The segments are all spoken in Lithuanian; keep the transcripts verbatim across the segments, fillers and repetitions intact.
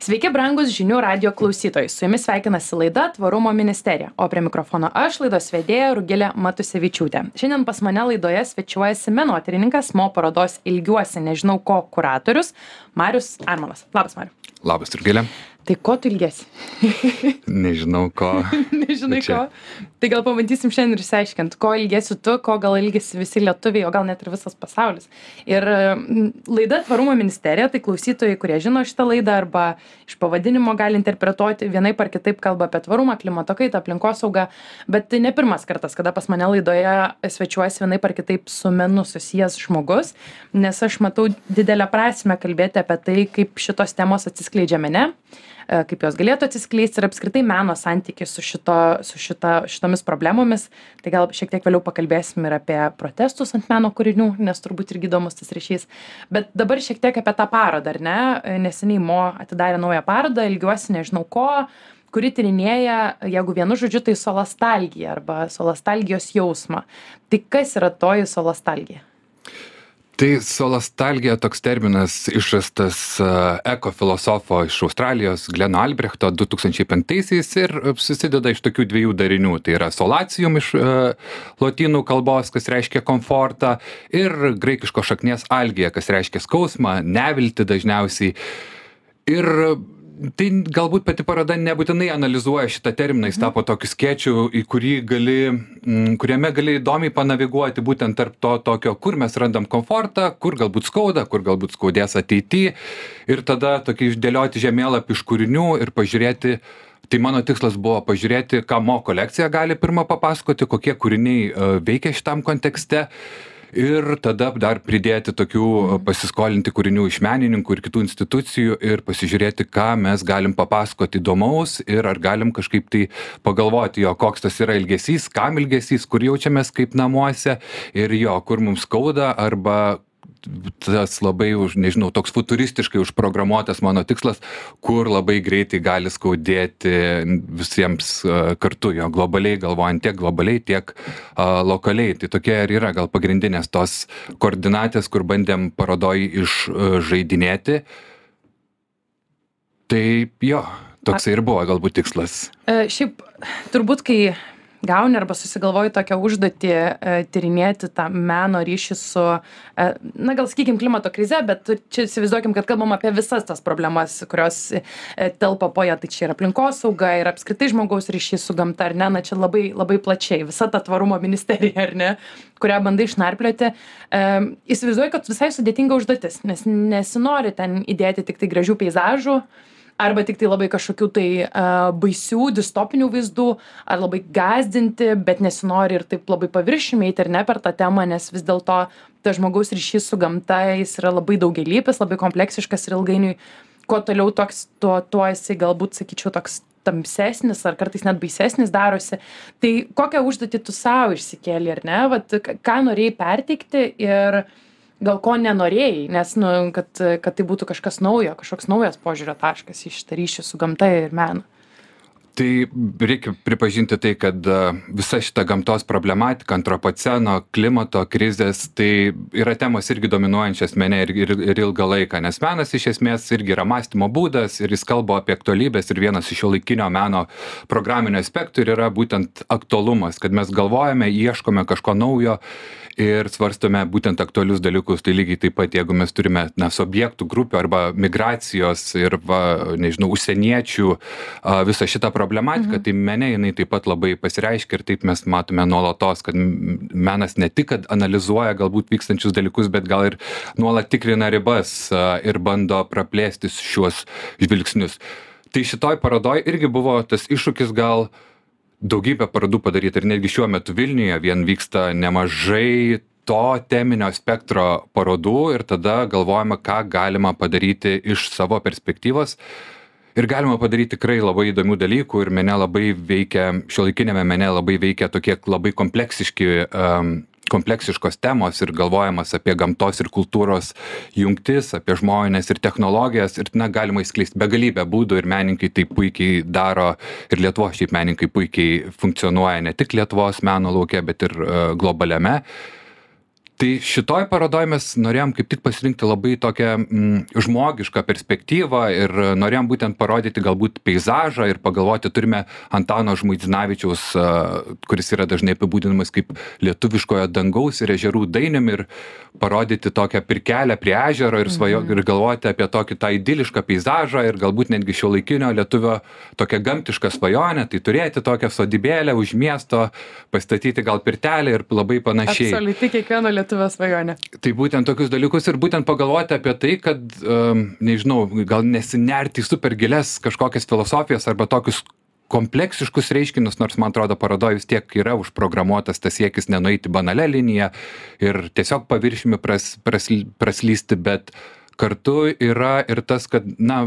Sveiki, brangus žinių radio klausytojai. Su jumis sveikinasi laida Tvarumo ministerija, o prie mikrofono aš, laidos vedėja Rugilė Matusevičiūtė. Šiandien pas mane laidoje svečiuojasi menotyrininkas, mo parodos Ilgiuosi nežinau ko kuratorius Marius Armonas. Labas, Mariu. Labas, Rugilė. Tai ko tu ilgiesi? Nežinau ko. Nežinai ko. Tai gal pabandysim šiandien ir išsiaiškinti, ko ilgiesi tu, ko gal ilgisi visi lietuviai, o gal net ir visas pasaulis. Ir laida Tvarumo ministerija, tai klausytojai, kurie žino šitą laidą arba iš pavadinimo gali interpretuoti vienaip ar kitaip kalba apie tvarumą, klimato kaitą, aplinkosaugą, bet tai ne pirmas kartas, kada pas mane laidoje svečiuojasi vienaip ar kitaip su menu susijęs žmogus, nes aš matau didelę prasmę kalbėti apie tai, kaip šitos temos atsiskleidžia mene, kaip jos galėtų atsiskleisti ir apskritai meno santykis su, šito, su šita, šitomis problemomis. Tai gal šiek tiek vėliau pakalbėsim ir apie protestus ant meno kūrinių, nes turbūt irgi įdomus tas ryšys. Bet dabar šiek tiek apie tą parodą, ar ne? Neseniai mo atidarė naują parodą, Ilgiuosi nežinau ko, kuri tyrinėja, jeigu vienu žodžiu, tai solastalgija arba solastalgijos jausmą. Tai kas yra toji solastalgija? Tai solastalgija toks terminas išrastas uh, ekofilosofo iš Australijos Gleno Albrechto du tūkstančiai penktaisiais ir susideda iš tokių dviejų darinių. Tai yra solacium iš uh, lotynų kalbos, kas reiškia komfortą, ir graikiško šaknies algija, kas reiškia skausmą, neviltį dažniausiai. Ir tai galbūt pati paroda nebūtinai analizuoja šitą terminą, jis tapo tokiu skėčiu, į kurį gali, kuriame gali įdomiai panaviguoti būtent tarp to tokio, kur mes randam komfortą, kur galbūt skauda, kur galbūt skaudės ateityje, ir tada tokį išdėlioti žemėlapį iš kūrinių ir pažiūrėti. Tai mano tikslas buvo pažiūrėti, ką mo kolekcija gali pirmą papasakoti, kokie kūriniai veikia šitam kontekste. Ir tada dar pridėti tokių pasiskolinti kūrinių iš menininkų ir kitų institucijų ir pasižiūrėti, ką mes galim papasakoti įdomaus ir ar galim kažkaip tai pagalvoti, jo, koks tas yra ilgesys, kam ilgesys, kur jaučiamės kaip namuose ir jo, kur mums skauda, arba tas labai, už, nežinau, toks futuristiškai užprogramuotas mano tikslas, kur labai greitai gali skaudėti visiems uh, kartu, jo, globaliai galvojant, tiek globaliai, tiek uh, lokaliai. Tai tokie ir yra gal pagrindinės tos koordinatės, kur bandėm parodoj išžaidinėti. Tai jo, toks ir buvo galbūt tikslas. E, šiaip, turbūt, kai gauni arba susigalvoji tokią užduotį e, tyrinėti tą meno ryšį su, e, na gal sakykim, klimato krize, bet čia įsivaizduokim, kad kalbam apie visas tas problemas, kurios e, telpa po ją, tai čia yra aplinkosauga ir apskritai žmogaus ryšys su gamta, ar ne, na čia labai, labai plačiai, visa ta tvarumo ministerija, ar ne, kurią bandai išnarplioti. E, įsivaizduoji, kad visai sudėtinga užduotis, nes nesinori ten įdėti tik tai gražių peizažų, arba tik tai labai kažkokių tai uh, baisių, distopinių vaizdų, ar labai gąsdinti, bet nesinori ir taip labai paviršiumi eiti ir ne per tą temą, nes vis dėlto tas žmogaus ryšys su gamta, jis yra labai daugialypis, labai kompleksiškas ir ilgainiui, kuo toliau toks, tuo, tuo jisai galbūt, sakyčiau, toks tamsesnis ar kartais net baisesnis darosi. Tai kokią užduotį tu savo išsikėlė, ar ne? Vat, ką norėjai perteikti ir gal ko nenorėjai, nes, nu, kad, kad tai būtų kažkas naujo, kažkoks naujas požiūrio taškas į šitą ryšį su gamta ir menu. Tai reikia pripažinti tai, kad visa šita gamtos problematika, antropoceno, klimato krizės, tai yra temos irgi dominuojančias mene ir, ir, ir ilgą laiką, nes menas iš esmės irgi yra mąstymo būdas ir jis kalba apie aktualybės ir vienas iš šiuolaikinio meno programinio aspektų ir yra būtent aktualumas, kad mes galvojame, ieškome kažko naujo ir svarstome būtent aktualius dalykus. Tai lygiai taip pat, jeigu mes turime na, subjektų grupių arba migracijos ir, va, nežinau, užsieniečių a, visą šitą problematiką, mhm. tai mene jinai taip pat labai pasireiškia ir taip mes matome nuolatos, kad menas ne tik, kad analizuoja galbūt vykstančius dalykus, bet gal ir nuolat tikrina ribas a, ir bando praplėsti šiuos žvilgsnius. Tai šitoj parodoj irgi buvo tas iššūkis gal daugybę parodų padaryti ir netgi šiuo metu Vilniuje vien vyksta nemažai to teminio spektro parodų ir tada galvojame, ką galima padaryti iš savo perspektyvos. Ir galima padaryti tikrai labai įdomių dalykų ir mene labai veikia, šiuolaikinėme mene labai veikia tokie labai kompleksiški um, kompleksiškos temos ir galvojimas apie gamtos ir kultūros jungtis, apie žmones ir technologijas ir na, galima įskleisti begalybę būdų ir menininkai tai puikiai daro ir Lietuvos šiaip menininkai puikiai funkcionuoja ne tik Lietuvos meno lauke, bet ir uh, globaliame. Tai šitoj parodoj mes norėjom kaip tik pasirinkti labai tokią mm, žmogišką perspektyvą ir norėjom būtent parodyti galbūt peizažą ir pagalvoti, turime Antano Žmuidzinavičiaus, kuris yra dažnai apibūdinamas kaip lietuviškojo dangaus ir ežerų dainium, ir parodyti tokią pirkelę prie ežero ir, svajo, ir galvoti apie tokį tą idilišką peizažą ir galbūt netgi šiuolaikinio lietuvio tokią gamtišką svajonę, tai turėti tokią sodybėlę už miesto, pastatyti gal pirtelę ir labai panašiai. Absoliuti kiekvieno lietuvio svajonė. Tai būtent tokius dalykus ir būtent pagalvoti apie tai, kad, um, nežinau, gal nesinerti į super gilias kažkokias filosofijas arba tokius kompleksiškus reiškinius, nors man atrodo parodoj vis tiek yra užprogramuotas tas siekis nenueiti banalią liniją ir tiesiog paviršiumi pras, pras, praslysti, bet kartu yra ir tas, kad, na,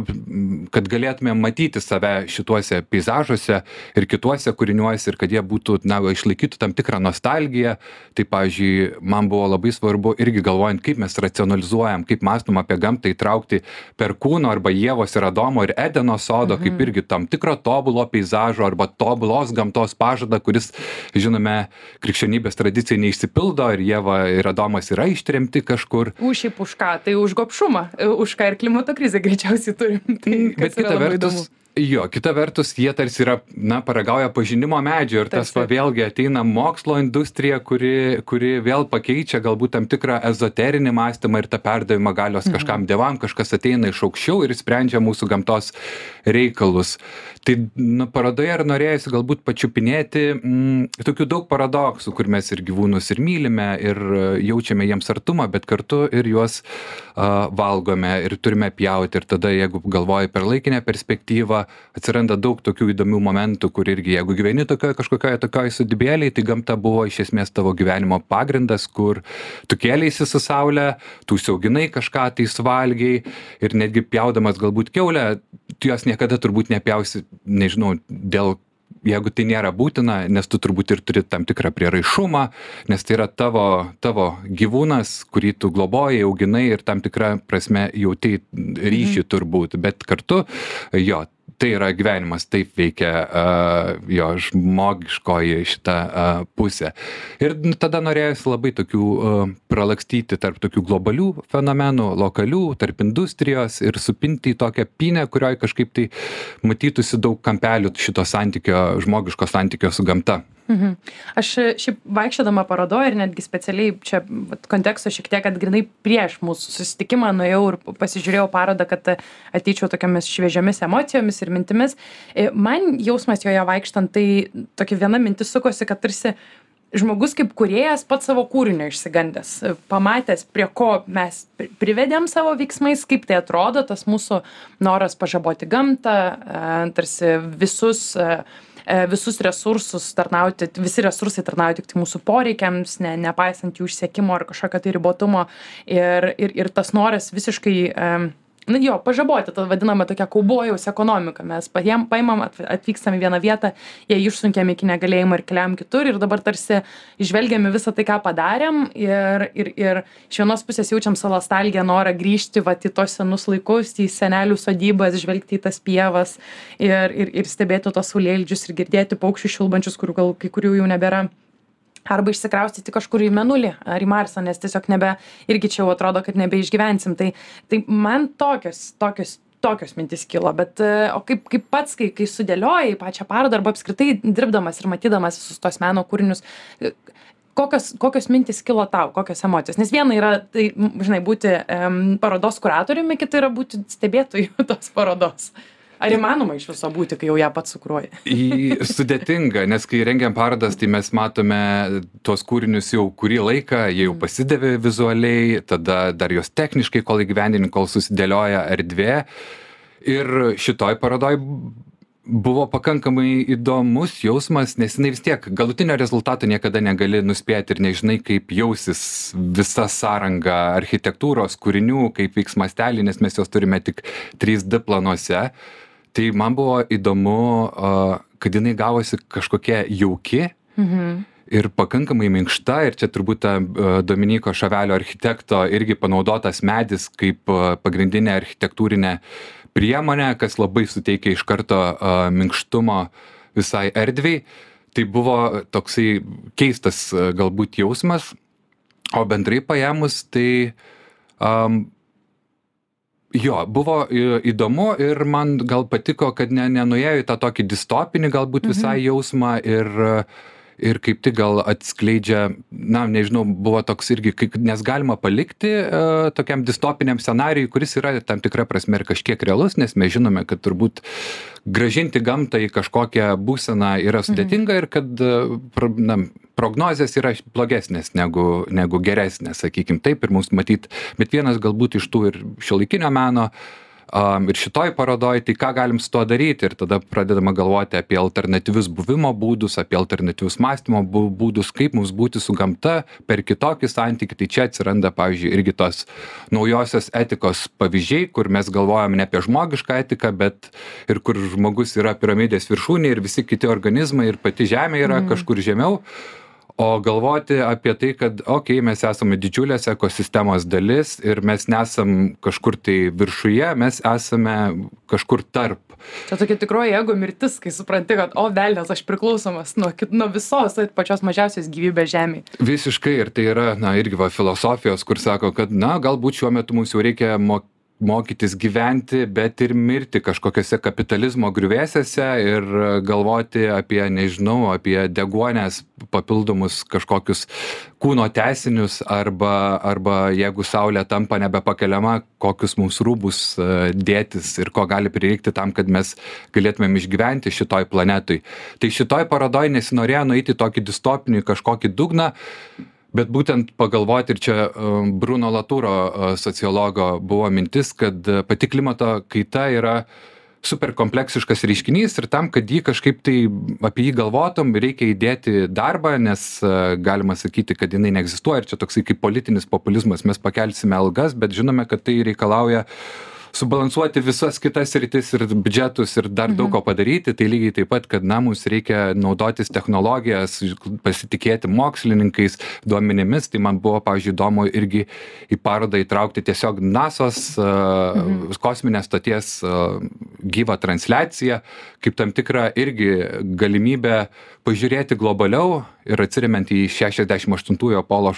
kad galėtume matyti save šituose peizažuose ir kituose kūriniuose ir kad jie būtų, na, išlaikytų tam tikrą nostalgiją. Tai, pavyzdžiui, man buvo labai svarbu irgi galvojant, kaip mes racionalizuojam, kaip mąstom apie gamtą įtraukti Perkūno arba Ievos ir Adomo ir Edeno sodo, mhm. kaip irgi tam tikro tobulo peizažo arba tobulos gamtos pažadą, kuris, žinome, krikščionybės tradicijai neišsipildo ir Ieva ir Adomas yra ištremti kažkur. Už šiaip už ką? Tai už gobšumą. Už ką ir klimato krizę greičiausiai turim. Tai, bet kita vertus, jo, kita vertus, jie tarsi yra, na, paragauja pažinimo medžio ir tas va vėlgi ateina mokslo industrija, kuri, kuri vėl pakeičia galbūt tam tikrą ezoterinį mąstymą ir tą perdavimą galios kažkam dievam, kažkas ateina iš aukščiau ir sprendžia mūsų gamtos reikalus. Tai, nu, parodoje ir norėjusi galbūt pačiupinėti mm, tokių daug paradoksų, kur mes ir gyvūnus ir mylime ir jaučiame jiems artumą, bet kartu ir juos uh, valgome ir turime pjauti. Ir tada, jeigu galvoji per laikinę perspektyvą, atsiranda daug tokių įdomių momentų, kur irgi, jeigu gyveni tokioje kažkokioje tokioje sodybėlėje, tai gamta buvo iš esmės tavo gyvenimo pagrindas, kur tu kėleisi su saule, tu užsiauginai kažką, tai suvalgiai ir netgi pjaudamas galbūt kiaulę, tu jos niekada turbūt nepjausi, nežinau, dėl, jeigu tai nėra būtina, nes tu turbūt ir turi tam tikrą prieraišumą, nes tai yra tavo, tavo gyvūnas, kurį tu globoji, auginai ir tam tikrą prasme jauti ryšį turbūt, bet kartu jo, tai yra gyvenimas, taip veikia uh, jo žmogiškoji šita uh, pusė. Ir tada norėjusi labai tokių uh, pralakstyti tarp tokių globalių fenomenų, lokalių, tarp industrijos ir supinti į tokią pynę, kurioje kažkaip tai matytųsi daug kampelių šito santykio, žmogiško santykio su gamta. Mhm. Aš šiaip vaikščiodama parodoje ir netgi specialiai čia konteksto šiek tiek, kad grynai prieš mūsų susitikimą nuėjau ir pasižiūrėjau parodą, kad ateičiau tokiamis šviežiomis emocijomis ir mintimis. Man jausmas joje vaikštant, tai tokia viena mintis sukosi, kad tarsi žmogus kaip kūrėjas pats savo kūrinio išsigandęs, pamatęs, prie ko mes privedėm savo veiksmais, kaip tai atrodo, tas mūsų noras pažaboti gamtą, tarsi visus visus resursus tarnauti, visi resursai tarnauja tik tai mūsų poreikiams, ne, nepaisant jų išsiekimo ar kažkokio tai ribotumo. Ir, ir, ir tas noras visiškai, na jo, pažaboti, tą vadinamą tokią kaubojaus ekonomiką. Mes patiem paimam, atvykstam į vieną vietą, jie išsunkiam iki negalėjimo ir keliam kitur ir dabar tarsi žvelgiame visą tai, ką padarėm ir, ir, ir iš vienos pusės jaučiam savo nostalgiją, norą grįžti vat, į tos senus laikus, į senelių sodybas, žvelgti į tas pievas ir, ir, ir stebėti tos saulėlydžius ir girdėti paukščių šilbančius, kurių gal kai kurių jau nebėra. Arba išsikraustyti kažkur į Mėnulį ar į Marsą, nes tiesiog nebe, irgi čia jau atrodo, kad nebeišgyvensim. Tai, tai man tokios, tokios, tokios mintis kilo, bet o kaip, kaip pats, kai, kai sudėliojai pačią parodą arba apskritai dirbdamas ir matydamas visus tos meno kūrinius, kokios, kokios mintis kilo tau, kokios emocijos? Nes viena yra, tai, žinai, būti um, parodos kuratoriumi, kita yra būti stebėtojų tos parodos. Ar įmanoma iš viso būti, kai jau ją pats sukruoji? Sudėtinga, nes kai rengiam parodas, tai mes matome tuos kūrinius jau kurį laiką, jie jau pasidavė vizualiai, tada dar jos techniškai, kol įgyvendini, kol susidėlioja erdvė. Ir šitoj parodoj buvo pakankamai įdomus jausmas, nes jinai vis tiek galutinio rezultato niekada negali nuspėti ir nežinai, kaip jausis visa sąranga architektūros kūrinių, kaip vyks mastelį, nes mes jos turime tik trys D planuose. Tai man buvo įdomu, kad jinai gavosi kažkokia jauki mhm. ir pakankamai minkšta, ir čia turbūt Dominyko Šavelio architekto irgi panaudotas medis kaip pagrindinė architektūrinė priemonė, kas labai suteikia iš karto minkštumo visai erdvei. Tai buvo toksai keistas galbūt jausmas. O bendrai paėmus, tai um, jo, buvo į- įdomu ir man gal patiko, kad ne, nenuėjo į tą tokį distopinį galbūt visai jausmą ir, ir kaip tik gal atskleidžia, na, nežinau, buvo toks irgi, kaip, nes galima palikti uh, tokiam distopiniam scenarijui, kuris yra tam tikra prasme ir kažkiek realus, nes mes žinome, kad turbūt gražinti gamtą į kažkokią būseną yra sudėtinga ir kad uh, pro- na, prognozės yra blogesnės negu, negu geresnės, sakykim taip, ir mums matyt, bet vienas galbūt iš tų ir šiuolaikinio meno, um, ir šitoj parodoj, tai ką galim su tuo daryti, ir tada pradedama galvoti apie alternatyvius buvimo būdus, apie alternatyvius mąstymo bū- būdus, kaip mums būti su gamta per kitokį santykį, tai čia atsiranda, pavyzdžiui, irgi tos naujosios etikos pavyzdžiai, kur mes galvojam ne apie žmogišką etiką, bet ir kur žmogus yra piramidės viršūnė ir visi kiti organizmai ir pati žemė yra mm. kažkur žemiau. O galvoti apie tai, kad, okei, okay, mes esame didžiulės ekosistemos dalis ir mes nesam kažkur tai viršuje, mes esame kažkur tarp. Čia tokia tikroji ego mirtis, kai supranti, kad, o velnias, aš priklausomas nuo, kit- nuo visos pačios mažiausios gyvybės žemėje. Visiškai, ir tai yra, na, irgi va, filosofijos, kur sako, kad, na, galbūt šiuo metu mums jau reikia mo- mokytis gyventi, bet ir mirti kažkokiose kapitalizmo griuvėsiuose ir galvoti apie, nežinau, apie deguonės papildomus kažkokius kūno tęsinius arba, arba jeigu saulė tampa nebepakeliama, kokius mums rūbus e, dėtis ir ko gali prireikti tam, kad mes galėtumėm išgyventi šitoj planetui. Tai šitoj parodoj nesinorėjo nueiti į tokį distopinį kažkokį dugną, bet būtent pagalvoti, ir čia um, Bruno Laturo uh, sociologo buvo mintis, kad uh, pati klimato kaita yra super kompleksiškas reiškinys ir tam, kad jį kažkaip tai apie jį galvotum, reikia įdėti darbą, nes uh, galima sakyti, kad jinai neegzistuoja ir čia toksai kaip politinis populizmas, mes pakelsime algas, bet žinome, kad tai reikalauja subalansuoti visas kitas sritis ir biudžetus ir dar daug ko padaryti, tai lygiai taip pat, kad na, mums reikia naudotis technologijas, pasitikėti mokslininkais, duomenimis, tai man buvo, pavyzdžiui, įdomu irgi į parodą įtraukti tiesiog nasos uh, mhm. kosminės stoties uh, gyvą transliaciją, kaip tam tikrą irgi galimybę pažiūrėti globaliau ir atsiremiant į šešiasdešimt aštuntųjų Apollo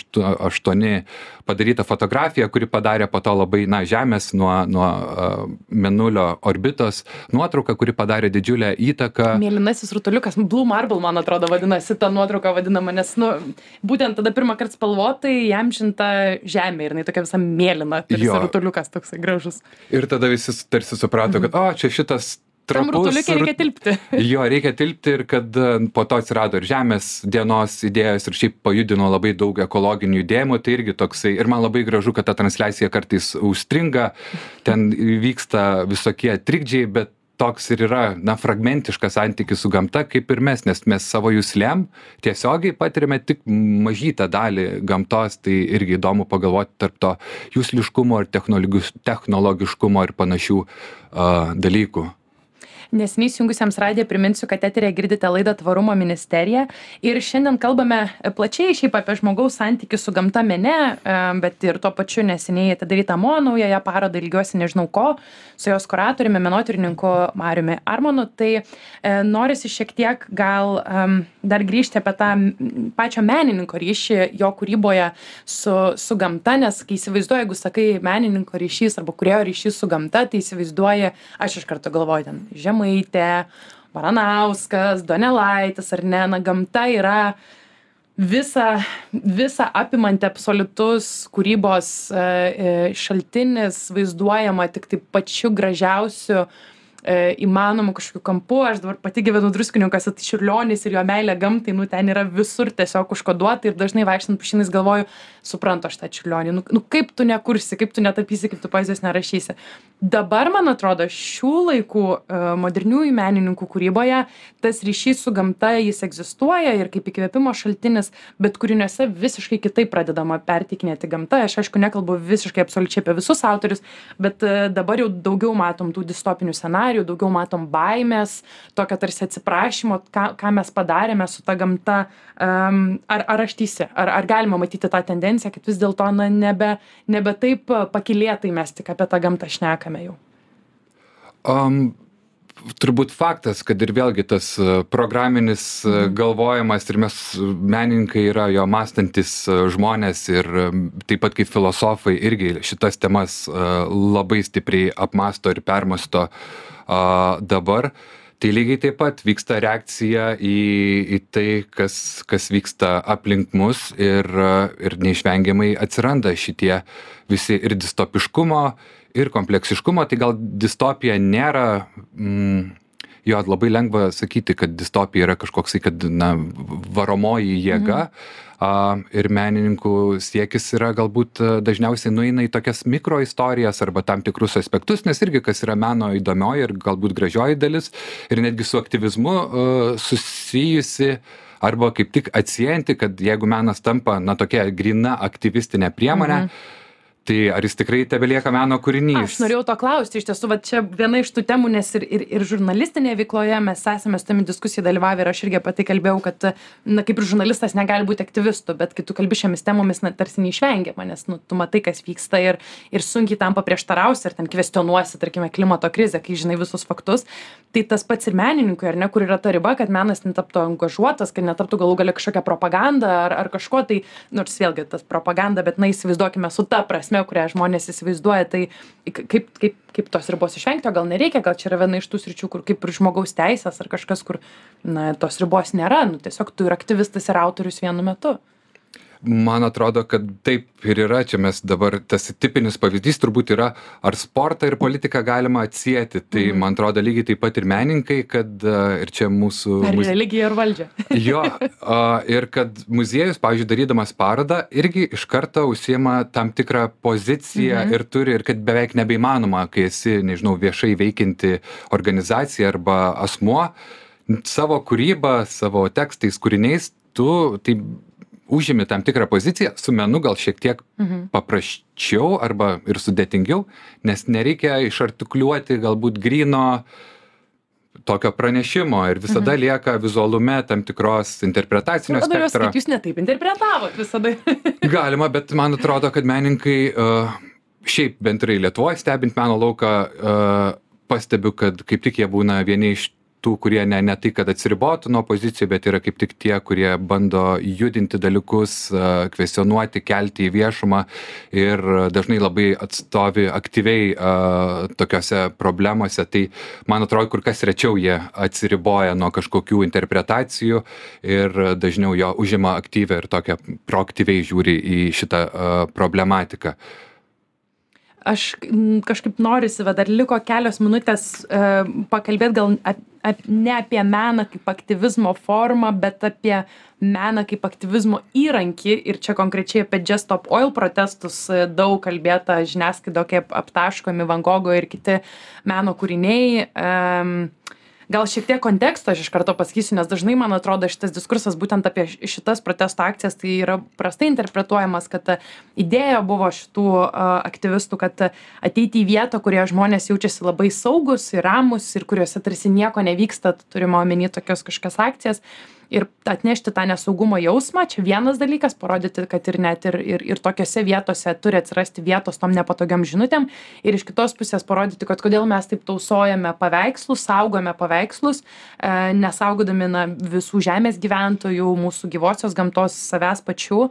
aštuoni padarytą fotografiją, kuri padarė po to labai, na, Žemės nuo, nuo uh, Mėnulio orbitos nuotrauką, kuri padarė didžiulę įtaką. Mėlynasis rutuliukas, Blue Marble, man atrodo, vadinasi, ta nuotrauka vadinama, nes, nu, būtent tada pirmą kartą spalvotai įamžinta Žemė ir jinai tokia visa mėlyna, tarsi Jo. rutuliukas toksai gražus. Ir tada visi tarsi suprato, kad, o, čia šitas Tam trapus. rutuliukė reikia tilpti. Jo, reikia tilpti ir kad e, po to atsirado ir Žemės dienos idėjos ir šiaip pajudino labai daug ekologinių judėjimų, tai irgi toksai, ir man labai gražu, kad ta transliacija kartais užstringa, ten vyksta visokie trikdžiai, bet toks ir yra, na, fragmentiškas santykis su gamta, kaip ir mes, nes mes savo juslėm tiesiogiai patiriame tik mažytą dalį gamtos, tai irgi įdomu pagalvoti tarp to jusliškumo ir technologiš- technologiškumo ir panašių uh, dalykų. Neseniai įsijungusiems radiją priminsiu, kad eteryje girdite laidą Tvarumo ministerija ir šiandien kalbame plačiai šiaip apie žmogaus santykį su gamta mene, e, bet ir tuo pačiu neseniai atidarytą mo naująją parodą ilgiuosi nežinau ko, su jos kuratoriumi, menotyrininku Mariumi Armonu. Tai e, norisi šiek tiek gal em, dar grįžti apie tą m, pačio menininko ryšį jo kūryboje su, su gamta, nes kai įsivaizduoju, jeigu sakai menininko ryšys arba kūrėjo ryšys su gamta, tai įsivaizduoji, aš iš karto galvoju ten Žemaitė, Baranauskas, Donelaitis, ar ne, na, gamta yra visa, visa apimanti absoliutus kūrybos e, e, šaltinis, vaizduojama tik tai pačiu gražiausiu e, įmanomu kažkokiu kampu. Aš dabar pati gyvenu Druskininkuose, tai Čiurlionis ir jo meilė gamtai, nu, ten yra visur tiesiog užkoduota ir dažnai vaikštant pušynais galvoju, suprantu aš tą Čiurlionį, nu, nu kaip tu nekursi, kaip tu netapysi, kaip tu poezijos nerašysi. Dabar, man atrodo, šių laikų e, moderniųjų menininkų kūryboje tas ryšys su gamta, jis egzistuoja ir kaip įkvėpimo šaltinis, bet kūriniuose visiškai kitaip pradedama perteikinėti gamtą. Aš aišku nekalbu visiškai absoliučiai apie visus autorius, bet e, dabar jau daugiau matom tų distopinių scenarijų, daugiau matom baimės, tokio tarsi atsiprašymo, ką, ką mes padarėme su ta gamta. Um, ar, ar aš teisi, ar, ar galima matyti tą tendenciją, kad vis dėlto na, nebe, nebe taip pakylėtai mes tik apie tą gamtą šnekame jau? Um, turbūt faktas, kad ir vėlgi tas programinis mhm. galvojimas ir mes menininkai yra jo mąstantis žmonės ir taip pat kaip filosofai irgi šitas temas labai stipriai apmąsto ir permąsto dabar. Tai lygiai taip pat vyksta reakcija į, į tai, kas, kas vyksta aplink mus ir, ir neišvengiamai atsiranda šitie visi ir distopiškumo, ir kompleksiškumo. Tai gal distopija nėra, mm, jo labai lengva sakyti, kad distopija yra kažkoksai, kad na, varomoji jėga. Mhm. Uh, ir menininkų siekis yra galbūt dažniausiai nueina į tokias mikroistorijas arba tam tikrus aspektus, nes irgi kas yra meno įdomioji ir galbūt gražioji dalis ir netgi su aktyvizmu uh, susijusi arba kaip tik atsiejanti, kad jeigu menas tampa na tokia gryna aktyvistinė priemonė, mhm. tai ar jis tikrai tebelieka meno kūrinys? Aš norėjau to klausti, iš tiesų, va čia viena iš tų temų, nes ir, ir, ir žurnalistinėje veikloje mes esame su tami diskusijai dalyvavę ir aš irgi apie tai kalbėjau, kad, na, kaip ir žurnalistas negali būti aktyvistu, bet kai tu kalbi šiomis temomis, na, tarsi neišvengiama, nes, nu, tu matai, kas vyksta ir, ir sunkiai tam paprieštarausi ir ten kvestionuosi, tarkime, klimato krizę, kai žinai visus faktus. Tai tas pats ir menininkui, ar ne, kur yra ta riba, kad menas netaptų angažuotas, kad netaptų galų galia kažkokią propagandą ar, ar kažko, tai, nors vėlgi tas propaganda, bet, na, įsivaizduokime su ta prasme, kurią žmonės įsivaizduoja, tai kaip, kaip, kaip tos ribos išvengti, o gal nereikia, gal čia yra viena iš tų sričių, kur kaip ir žmogaus teisės ar kažkas, kur, na, tos ribos nėra, nu, tiesiog tu ir aktyvistas ir autorius vienu metu. Man atrodo, kad taip ir yra, čia mes dabar, tas tipinis pavyzdys turbūt yra, ar sportą ir politiką galima atsieti, tai mm. man atrodo lygiai taip pat ir menininkai, kad ir čia mūsų... Ar muz... religija ir valdžia. Jo, ir kad muziejus, pavyzdžiui, darydamas parodą, irgi iš karto užsiema tam tikrą poziciją mm-hmm. ir turi, ir kad beveik nebeįmanoma, kai esi, nežinau, viešai veikianti organizacija arba asmuo, savo kūrybą, savo tekstais, kūriniais, tu tai užimi tam tikrą poziciją, su menu gal šiek tiek mhm. paprasčiau arba ir sudėtingiau, nes nereikia išartikuliuoti galbūt gryno tokio pranešimo ir visada mhm. lieka vizualume tam tikros interpretacinio spektro. Tada jūs, jūs netaip interpretavot visada. Galima, bet man atrodo, kad menininkai, uh, šiaip bendrai Lietuvoje stebint meno lauką, uh, pastebiu, kad kaip tik jie būna vieni iš tų, kurie ne, ne tai, kad atsiribotų nuo pozicijų, bet yra kaip tik tie, kurie bando judinti dalykus, kvestionuoti, kelti į viešumą ir dažnai labai atstovi aktyviai uh, tokiose problemose. Tai, man atrodo, kur kas rečiau jie atsiriboja nuo kažkokių interpretacijų ir dažniau jo užima aktyvią ir tokią proaktyviai žiūri į šitą uh, problematiką. Aš kažkaip norisi, va, dar liko kelios minutės e, pakalbėti gal ap, ap, ne apie meną kaip aktyvizmo formą, bet apie meną kaip aktyvizmo įrankį ir čia konkrečiai apie Just Stop Oil protestus daug kalbėta žiniasklaidoje, kaip aptaškomi Van Gogo ir kiti meno kūriniai. E, Gal šiek tiek konteksto aš iš karto pasakysiu, nes dažnai, man atrodo, šitas diskursas būtent apie šitas protesto akcijas tai yra prastai interpretuojamas, kad idėja buvo šitų uh, aktyvistų, kad ateiti į vietą, kurioje žmonės jaučiasi labai saugus ir ramus ir kuriuose tarsi nieko nevyksta, turime omeny tokios kažkokias akcijas. Ir atnešti tą nesaugumo jausmą, čia vienas dalykas, parodyti, kad ir net ir, ir, ir tokiose vietose turi atsirasti vietos tom nepatogiam žinutėm. Ir iš kitos pusės parodyti, kad kodėl mes taip tausojame paveikslus, saugome paveikslus, e, nesaugodami na, visų žemės gyventojų, mūsų gyvosios gamtos, savęs pačių.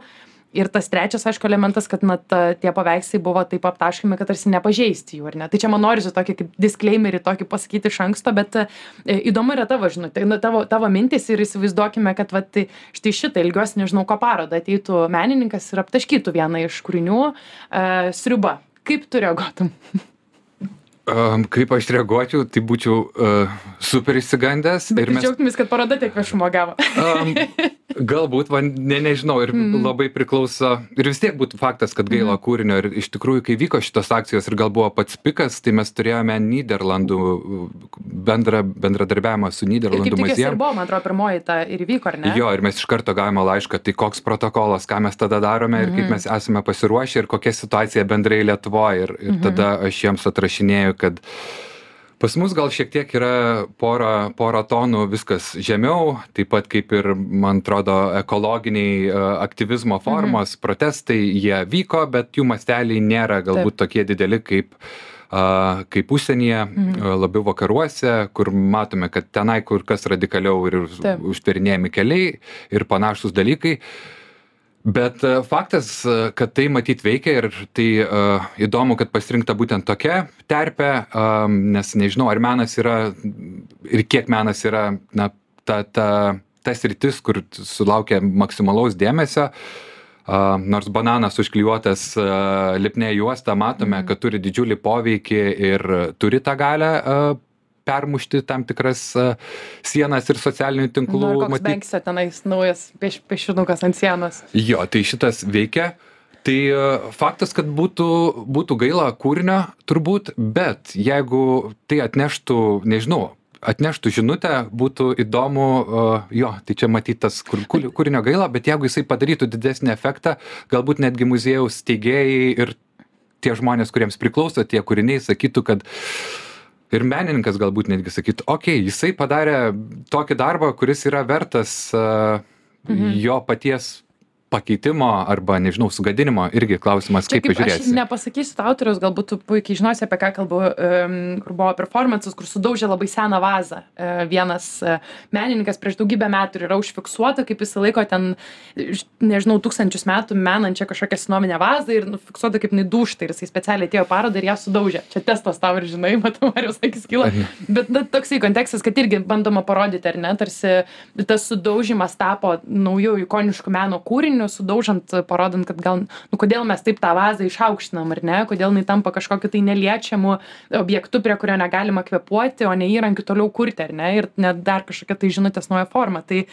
Ir tas trečias, aišku, elementas, kad na, ta, tie paveikslai buvo taip aptaškomi, kad tarsi nepažeisti jų, ar ne? Tai čia man norisi tokį kaip disclaimerį tokį pasakyti iš anksto, bet e, įdomu yra tavo žinutė, nu, tavo, tavo mintis ir įsivaizduokime, kad va, tai, štai šitą ilgiuosi, nežinau, ko parodą ateitų menininkas ir aptaškytų vieną iš kūrinių e, sriuba. Kaip tu reaguotum? Um, kaip aš reaguočiau, tai būčiau uh, super išsigandęs. Bet mes... džiaugtumės, kad paroda tiek viešumo gavo. um, galbūt, man, ne, nežinau, ir mm. labai priklauso, ir vis tiek būtų faktas, kad gaila mm. kūrinio, ir iš tikrųjų, kai vyko šitos akcijos ir gal buvo pats pikas, tai mes turėjome Nyderlandų bendra, bendradarbiavimą su Nyderlandų muziejum. Ir kaip tik ir buvo, man atrodo, pirmoji ta ir vyko, ar ne? Jo, ir mes iš karto gavome laišką, tai koks protokolas, ką mes tada darome, mm. ir kaip mes esame pasiruošę, ir kokia situacija bendrai Lietuvoje, ir, ir mm-hmm. tada aš jiems atrašinėjau, kad pas mus gal šiek tiek yra pora, pora tonų viskas žemiau, taip pat kaip ir, man atrodo, ekologiniai aktyvizmo formos, mhm. protestai, jie vyko, bet jų masteliai nėra galbūt taip. Tokie dideli kaip kaip užsienyje, Mhm. labiau vakaruose, kur matome, kad tenai kur kas radikaliau ir Taip. užtverinėjami keliai ir panašūs dalykai. Bet e, faktas, e, kad tai matyt veikia ir tai uh, įdomu, kad pasirinkta būtent tokia terpė, um, nes nežinau, ar menas yra ir kiek menas yra na, ta, ta, ta sritis, kur sulaukia maksimalaus dėmesio. Uh, nors bananas užklijuotas uh, lipnia juosta, matome, mm. kad turi didžiulį poveikį ir turi tą galę uh, permušti tam tikras uh, sienas ir socialinių tinklų. Na, koks matyt... Banksio tenais naujas pieš, piešinukas ant sienos. Jo, tai šitas veikia. Tai uh, faktas, kad būtų, būtų gaila kūrinio, turbūt, bet jeigu tai atneštų, nežinau, atneštų žinutę, būtų įdomu, uh, jo, tai čia matytas kur, kūrinio gaila, bet jeigu jisai padarytų didesnį efektą, galbūt netgi muziejaus steigėjai ir tie žmonės, kuriems priklauso tie kūriniai, sakytų, kad ir menininkas galbūt netgi sakytų, okei, okay, jisai padarė tokį darbą, kuris yra vertas uh, mhm. jo paties pakeitimo arba, nežinau, sugadinimo, irgi klausimas, Čia kaip, kaip pažiūrėsi. Aš nepasakysiu to autoriaus, galbūt tu puikiai žinosi, apie ką kalbu, um, kur buvo performances, kur sudaužė labai seną vazą. Uh, vienas uh, menininkas prieš daugybę metų ir yra užfiksuota, kaip jis laiko ten, nežinau, tūkstančius metų menančią kažkokią senovinę vazą ir nufiksuota, kaip jinai dūžta ir jisai specialiai atėjo parodą ir ją sudaužė. Čia testas tau ir žinai, matau, ar jūs akis kyla. Bet na, toksai kontekstas, kad irgi bandoma parodyti, ar ne, tarsi tas sudaužimas tapo naujų ikoniškų meno kūrinių, sudaužant, parodant, kad gal, nu, kodėl mes taip tą vazą išaukštinam, ar ne, kodėl jinai tampa kažkokiu tai neliečiamu objektu, prie kurio negalima kvėpuoti, o ne įrankiu toliau kurti, ar ne, ir net dar kažkokia tai žinutės nauja forma. Tai,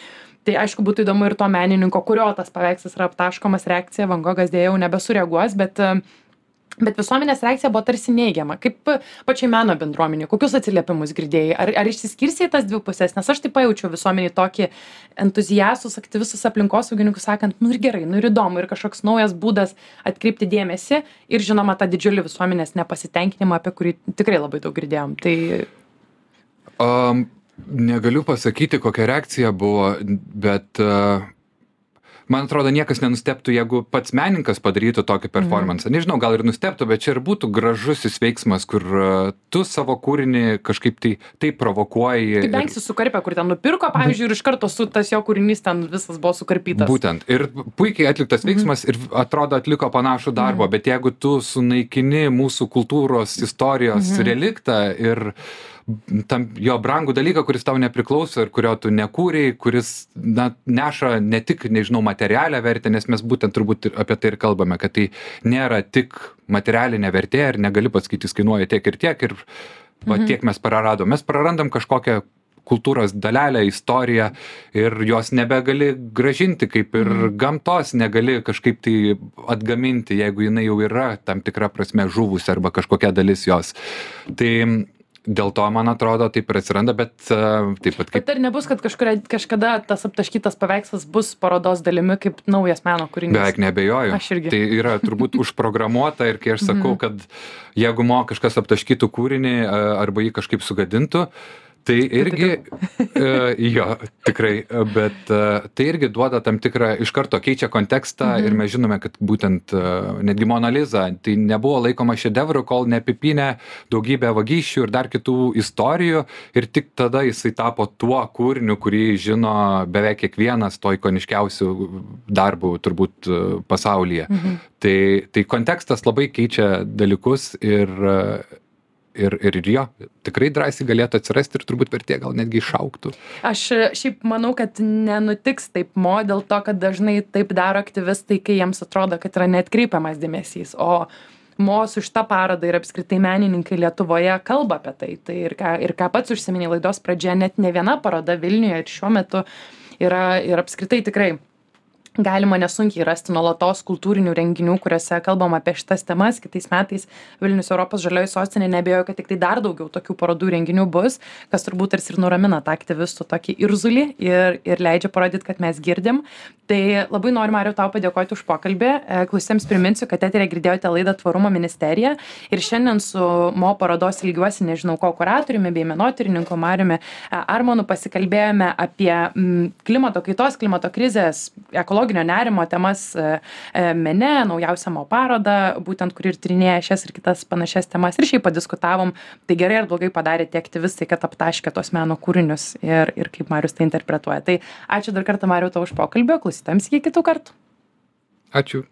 tai aišku, būtų įdomu ir to menininko, kurio tas paveikslas yra aptaškomas reakcija, Van Gogas dėja jau nebesureaguos, bet Bet visuomenės reakcija buvo tarsi neigiama. Kaip pačiai meno bendruomenė, kokius atsiliepimus girdėjai? Ar, ar išsiskirsi į tas dvi pusės? Nes aš tai pajaučiau visuomenį tokį entuziastus, aktyvistus aplinkosaugininkus sakant, nu ir gerai, nu ir įdomu, ir kažkoks naujas būdas atkreipti dėmesį ir žinoma tą didžiulį visuomenės nepasitenkinimą, apie kurį tikrai labai daug girdėjom. Tai... Um, negaliu pasakyti, kokia reakcija buvo, bet... Uh... Man atrodo, niekas nenusteptų, jeigu pats menininkas padarytų tokį performansą. Mhm. Nežinau, gal ir nusteptų, bet čia ir būtų gražusis veiksmas, kur uh, tu savo kūrinį kažkaip tai, tai provokuoji. Kaip Banksis ir... sukarpė, kur ten nupirko, pavyzdžiui, ir iš karto su tas jo kūrinys ten visas buvo sukarpytas. Būtent. Ir puikiai atliktas veiksmas mhm. ir atrodo atliko panašų darbą, mhm. bet jeigu tu sunaikini mūsų kultūros istorijos mhm. reliktą ir tam jo brangų dalyką, kuris tau nepriklauso ir kurio tu nekūrei, kuris na, neša ne tik, nežinau, materialią vertę, nes mes būtent turbūt apie tai ir kalbame, kad tai nėra tik materialinė vertė ir negali pasakyti, jis kainuoja tiek ir tiek ir va, mhm. tiek mes praradom. Mes prarandam kažkokią kultūros dalelę, istoriją ir jos nebegali gražinti, kaip ir mhm. gamtos negali kažkaip tai atgaminti, jeigu jinai jau yra tam tikra prasme žuvusi arba kažkokia dalis jos. Tai dėl to, man atrodo, taip ir atsiranda, bet uh, taip pat kaip... Bet ar nebus, kad kažkuria, kažkada tas aptaškytas paveikslas bus parodos dalimi kaip naujas meno kūrinys? Beveik neabejoju. Aš irgi. Tai yra turbūt užprogramuota ir kai aš sakau, kad jeigu mo kažkas aptaškytų kūrinį arba jį kažkaip sugadintų, tai irgi, uh, jo, tikrai, bet uh, tai irgi duoda tam tikrą, iš karto keičia kontekstą mhm. ir mes žinome, kad būtent uh, netgi Mona Lisa, tai nebuvo laikoma šedevru, kol neapipynė daugybę vagysčių ir dar kitų istorijų ir tik tada jisai tapo tuo kūriniu, kurį žino beveik kiekvienas to ikoniškiausių darbų turbūt uh, pasaulyje. Mhm. Tai, tai kontekstas labai keičia dalykus ir uh, Ir, ir jo, tikrai drąsiai galėtų atsirasti ir turbūt vertė gal netgi išaugtų. Aš šiaip manau, kad nenutiks taip mo, dėl to, kad dažnai taip daro aktyvistai, kai jiems atrodo, kad yra neatkreipiamas dėmesys. O mo su šitą parodą ir apskritai menininkai Lietuvoje kalba apie tai. Tai ir ką, ir ką pats užsiminė laidos pradžioje, net ne viena paroda Vilniuje ir šiuo metu yra ir apskritai tikrai galima nesunkiai rasti nuolatos kultūrinių renginių, kuriuose kalbam apie šitas temas. Kitais metais Vilnius Europos žalioji sostinė, neabejoju, kad tik tai dar daugiau tokių parodų renginių bus, kas turbūt tarsi ir nuramina tą aktyvistų tokį irzulį ir, ir leidžia parodyti, kad mes girdim. Tai labai noriu, Mariau, tau padėkoti už pokalbį. Klausytėms priminsiu, kad eteryje girdėjote laidą Tvarumo ministerija ir šiandien su mo parodos ilgiuosi, nežinau ko, kuratoriumi bei menotyrininku Mariumi Armonu pasikalbėjome apie klimato kaitos, klimato krizės, ekologijos psichologinio nerimo temas mene, naujausią mo parodą, būtent kur ir tyrinėja šias ir kitas panašias temas ir šiaip padiskutavom, tai gerai ar blogai padarė tie aktyvistai, kad aptaškė tos meno kūrinius ir, ir kaip Marius tai interpretuoja. Tai ačiū dar kartą, Mariau, tau už pokalbį, klausytojams iki kitų kartų. Ačiū.